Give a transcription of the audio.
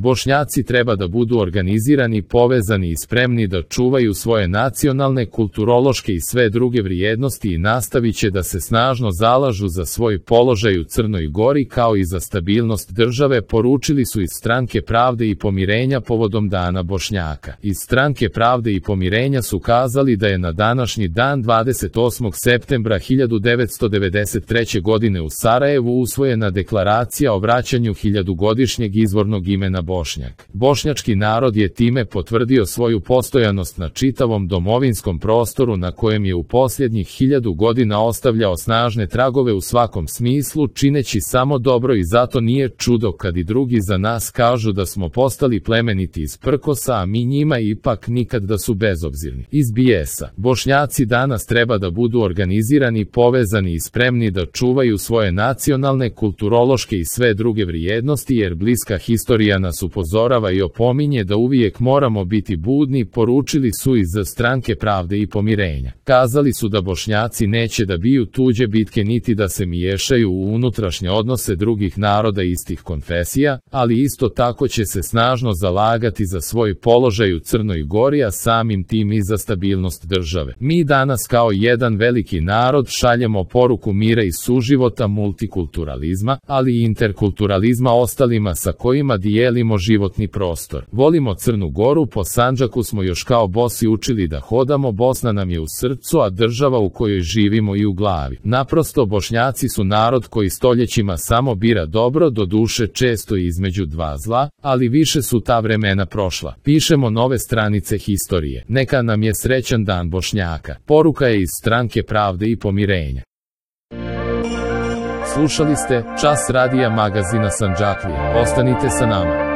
Bošnjaci treba da budu organizirani, povezani i spremni da čuvaju svoje nacionalne, kulturološke i sve druge vrijednosti i nastavit će da se snažno zalažu za svoj položaj u Crnoj Gori kao i za stabilnost države, poručili su iz Stranke pravde i pomirenja povodom Dana Bošnjaka. Iz Stranke pravde i pomirenja su kazali da je na današnji dan 28. septembra 1993. godine u Sarajevu usvojena deklaracija o vraćanju hiljadugodišnjeg izvornog imena Bošnjak. Bošnjački narod je time potvrdio svoju postojanost na čitavom domovinskom prostoru na kojem je u posljednjih 1000 godina ostavljao snažne tragove u svakom smislu, čineći samo dobro, i zato nije čudo kad i drugi za nas kažu da smo postali plemeniti iz prkosa, a mi njima ipak nikad da su bezobzirni iz bijesa. Bošnjaci danas treba da budu organizirani, povezani i spremni da čuvaju svoje nacionalne, kulturološke i sve druge vrijednosti, jer bliska historija nas upozorava i opominje da uvijek moramo biti budni, poručili su iz Stranke pravde i pomirenja. Kazali su da Bošnjaci neće da biju tuđe bitke niti da se miješaju u unutrašnje odnose drugih naroda istih konfesija, ali isto tako će se snažno zalagati za svoj položaj u Crnoj Gori, a samim tim i za stabilnost države. Mi danas kao jedan veliki narod šaljemo poruku mira i suživota, multikulturalizma, ali i interkulturalizma ostalima sa kojima dijelimo životni prostor. Volimo Crnu Goru, po Sandžaku smo još kao bosi učili da hodamo, Bosna nam je u srcu, a država u kojoj živimo i u glavi. Naprosto, Bošnjaci su narod koji stoljećima samo bira dobro, do duše često između dva zla, ali više su ta vremena prošla. Pišemo nove stranice historije. Neka nam je srećan Dan Bošnjaka. Poruka je iz Stranke pravde i pomirenja. Slušali ste Čas radija magazina Sandžaklija. Ostanite sa nama.